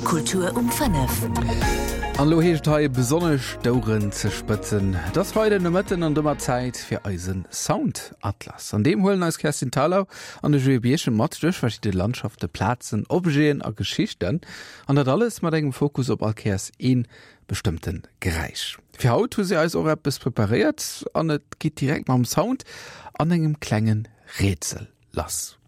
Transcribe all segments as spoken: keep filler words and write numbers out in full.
Kultur um fënnef. An elo heescht et hei besonnesch d'Oueren ze spëtzen. Et ass Freiden Nomëtten an domat Zäit fir eise Sound Atlas. An deem huelen eis Kerstin Thalau an de Joé Birchen mat duerch verschidde Landschaften, Plazen, Objeten a Geschichten. An dat alles mat engem Fokus op all Kéiers ee bestëmmte Geräisch. Fir haut hu si eis och eppes preparéiert an et geet direkt mam Sound an engem klenge Rätsel lass.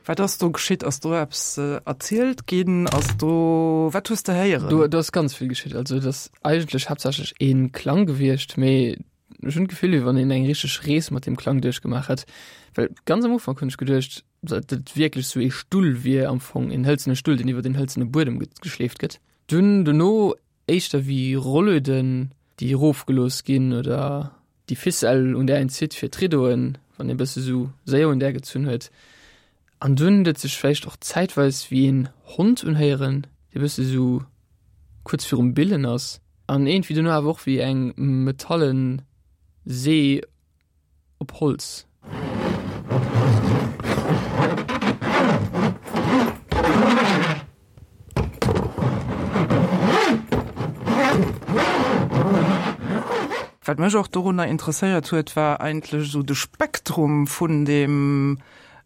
Wat ass do geschitt? Ass do eppes erzielt ginn? Ass do, wat hues de héieren? Do, do ass ganz vill geschitt. Also et ass eigentlech haaptsächlech ee Klang gewiescht, mee ech hunn d'Gefill, wéi wann een eng richteg Rees mat deem Klang duerchgemaach hätt. Well ganz am Ufank hunn ech geduecht, datt et wierklech sou ee Stull wier am Fong, een hëlzene Stull, deen iwwer een hëlzene Buedem geschleeft gëtt. Dunn dono éischter wéi Rollöden, déi erofgelooss ginn oder déi Ficelle, un där een zitt fir d'Riddoen, wann ee bësse sou séier un där gezunn huet. An dunn huet et sech vläicht och zäitweis wéi een Hond unhéieren, dee bësse sou kuerz virum Billen ass. An iergendwéi dono awer och wéi eng metallen See op Holz. Wat mech och dorunner interesséiert huet, war eigentlech esou de Spektrum vun deem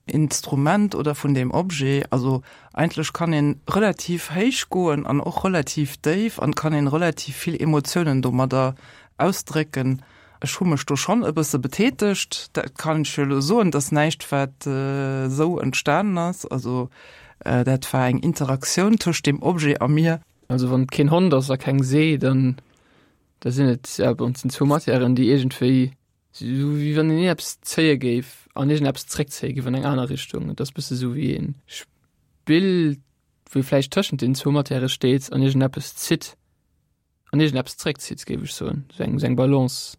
Instrument oder vun deem Objet. Also eigentlech kann een relativ héich goen an och relativ déif an kann een relativ vill Emotiounen domadder ausdrécken. Ech hu mech do schonn e bësse betätegt, dat kann ech jo elo soen. Dat ass näischt, wat esou entstanen ass. Also dat war eng Interaktioun tëscht deem Objet a mir. Also wann et keen Hond ass a keng See, dann da sinn et, ja bon, et sinn zwou Matièren, déi iergendwéi, esou wéi wann een eppes zéie géif an iergendeppes zréckzéie géif an eng aner Richtung. Et ass bësse sou wéi ee Spill, wou ee vläicht tëschent den zwou Matièrë steet an iergendeppes zitt an iergendeppes zréckzitt, géif ech soen. Sou eng, sou eng Balance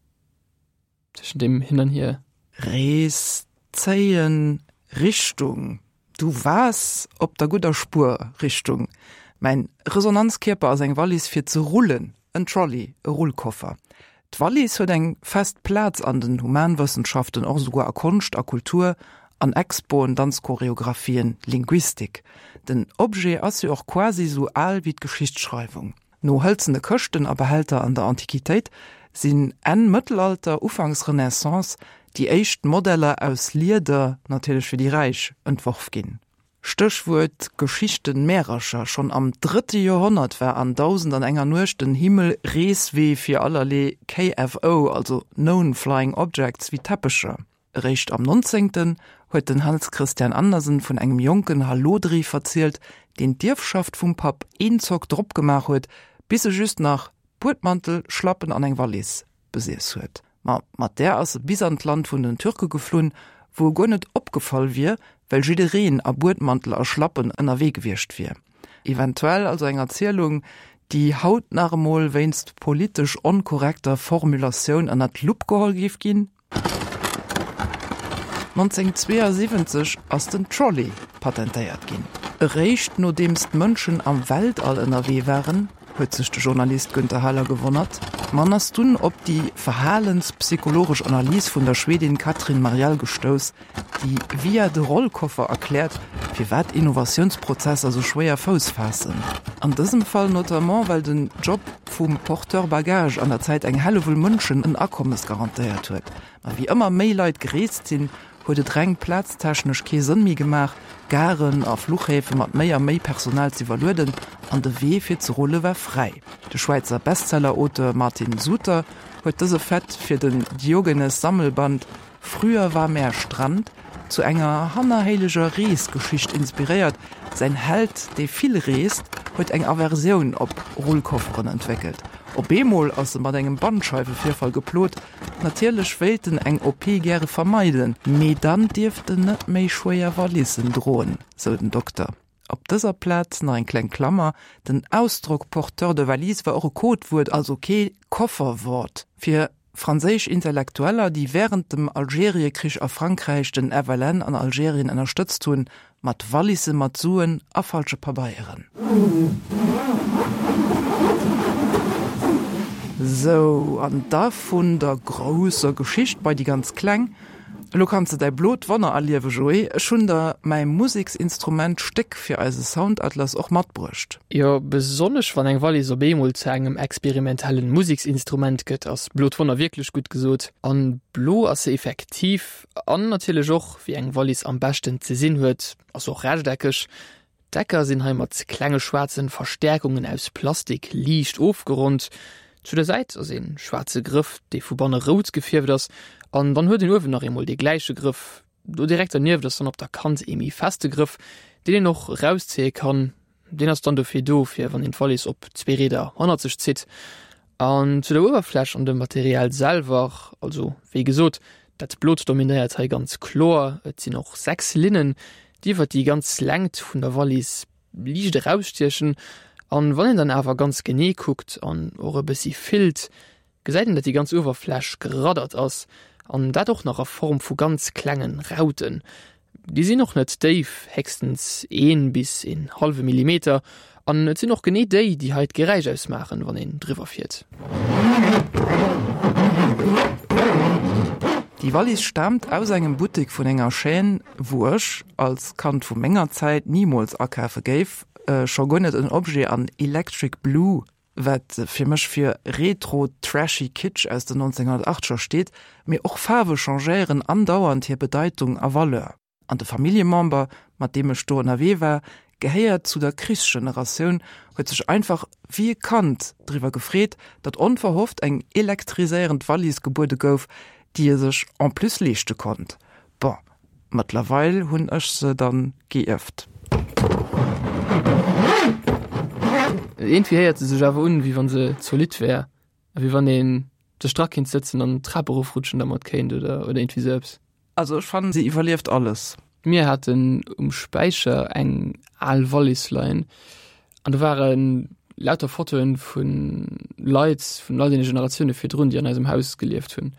tëschent deem Hin an Hier. Rees, zéien, Richtung, Du waars op der gudder Spuer, Richtung. Mäin Resonanzkierper ass eng Wallis fir ze rullen, en Trolley, e Rullkoffer. D'Wallis huet eng fest Plaz an den Humanwëssenschaften, och esouguer a Konscht a Kultur, an Expoen, Danzchoreographien, Linguistik. Den Objet ass jo och quasi esou al wéi d'Geschichtsschreiwung. No hëlzene Këschten a Behälter an der Antiquitéit sinn Enn Mëttelalter, Ufanks Renaissance déi éischt Modeller aus Lieder, natierlech fir déi Räich, entworf ginn. Stéchwuert Geschichten, Märercher, Schonn am drëtte Joerhonnert war an Dausend an enger Nuecht den Himmel Reeswee fir allerlee K F O, also Known Flying Objects, wéi Teppecher. Eréischt am nonzéngten huet den Hans Christian Andersen vun engem jonken Hallodri verzielt, deen d'Ierfschaft vum Papp eenzock drop gemaach huet, bis e just nach Buedmantel, Schlappen an eng Wallis besiess huet. Ma mat där ass e bis an d'Land vun den Türke geflunn, wou e guer net opgefall wier, well jiddereen a Buedmantel a Schlappen ënnerwee gewiescht wier. Eventuell also eng Erzielung, déi haut nach emol wéinst politesch onkorrekter Formulatioun ënnert d'Lupp geholl géif ginn. nonzénghunnertzweeënsiwwenzeg ass den Trolley patentéiert ginn. Eréischt nodeems d'Mënschen am Weltall ënnerwee waren, huet sech de Journalist Günther Haller gewonnert. Man ass dunn op déi verhalenspsychologesch Analys vun der Schwedin Katrin Marjell gestouss, déi via de Rollkoffer erkläert, firwat Innovatiounsprozesser sou schwéier Fouss faassen. An dësem Fall notamment, well den Job vum Porteur bagage an der Zäit eng Hellewull Mënschen en Akommes garantéiert huet. Ma wéi ëmmer méi Leit gereest sinn, huet et reng plaztechnesch kee Sënn méi gemaach, Garen a Fluchhäfe mat méi a méi Personal z'iwwerlueden, an de Wee fir ze rulle war fräi. De Schwäizer Bestseller-Auteur Martin Suter huet dëse Fait fir den Diogenes-Sammelband Früher war mehr Strand zu enger hannerhéileger Reesgeschicht inspiréiert. Säin Held, dee vill reest, huet eng Aversioun op Rullkofferen entwéckelt. Op eemol ass e mat engem Bandscheiwevirfall geplot. Natierlech wéilt en eng O P gäre vermeiden, mee dann dierft en net méi schwéier Valissen droen, sou den Dokter. Op dëser Plaz nach eng kleng Klammer, Den Ausdrock porteur de valise war och e Codewuert, also kee Kofferwort, fir franséisch Intellektueller, déi wärend dem Algeriekrich a Frankräich den F L N an Algerien ënnerstëtzt hunn, mat Walisse mat Suen a falsche Pabeieren. Sou, an da vun der grousser Geschicht bei déi ganz kleng. Elo kanns de däi blot Wonner erliewe Joé, ech hunn der mäi Museksinstrument Stéck fir eise Soundatlas och matbruecht. Jo, besonnesch wann eng Wallis op eemol zu engem experimentellen Museksinstrument gëtt, ass blot Wonner wierklech gutt gesot. An blo ass se effektiv, an natierlech och wéi eng Wallis am beschten ze sinn huet, ass och rechteckeg. D'Ecker sinn hei mat klenge schwaarzen Verstäerkungen aus Plastik liicht ofgeronnt. Zu der Säit ass een schwaarze Grëff, dee vu banne rout gefierft ass, an dann huet een uewen nach eemol dee gläiche Grëff. Do direkt dernieft ass dann op der Kant ee méi feste Grëff, deen een och erauszéie kann. Deen ass dann dofir do, fir wann een d'Wallis op zwee Rieder hannert sech zitt. An zu der Uewerfläch an dem Material selwer, also wéi gesot, dat Blot dominéiert hei ganz kloer. Et sinn och sechs Linnen, déi iwwer déi ganz Längt vun der Wallis liicht erausstiechen. An wann een dann awer ganz genee kuckt an och e bëssi fillt, gesäit een, datt déi ganz Uewerfläch geraddert ass, an dat och nach a Form vu ganz klengen Rauten. Déi sinn och net déif, héchstens een bis een hallwe Millimeter, an et sinn och genee déi, déi hei d'Geräisch ausmaachen, wann een driwwer fiert. Déi Wallis staamt aus engem Buttek vun enger Chaîne, wou ech, als Kand vu menger Zäit, nimools akafe géif, scho guer net en Objet an Electric Blue, wat fir mech fir retro trashy Kitsch aus den nonzénghunnertachteger steet, mee och Faarwe changéieren andauernd hir Bedeitung a Valeur. An de Familljemember, mat deem ech do ënnerwee war, gehéiert zu der Krichsgeneratioun, huet sech einfach wéi e Kand driwwer gefreet, datt onverhofft eng elektriséierend Wallis gebuede gouf, déi e sech en plus leeschte konnt. Bon, mëttlerweil hunn ech se dann geierft. Iergendwéi héiert se sech awer un, wéi wann se zolidd wär, a wéi wann ee sech dra kéint sëtzen an d'Trap erofrutschen dermat kéint oder oder iergendwéi sou eppes. Also ech fannen, se iwwerlieft alles. Mir haten um Späicher eng al Wallis leien an do ware lauter Fotoen vu Leit vun all deene Generatioune virdrun, déi an eisem Haus gelieft hunn.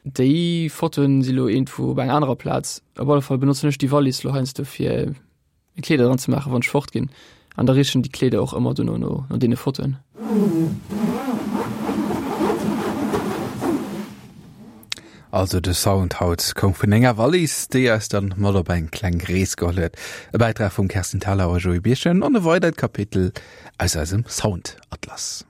Déi Fotoen si lo iergendwou op enger anerer Plaz. Op alle Fall benotzen ech déi Wallis lo heiansdo fir meng Kleeder dran ze maachen, wann ech fort ginn. An da richen déi Kleeder och ëmmer dono no no deene Fotoen. Also de Sound haut koum vun enger Wallis, déi eis dann mat op eng kleng Rees geholl huet. E Bäitrag vum Kerstin Thalau a Joé Birchen an e weidert Kapitel aus eisem Soundatlas.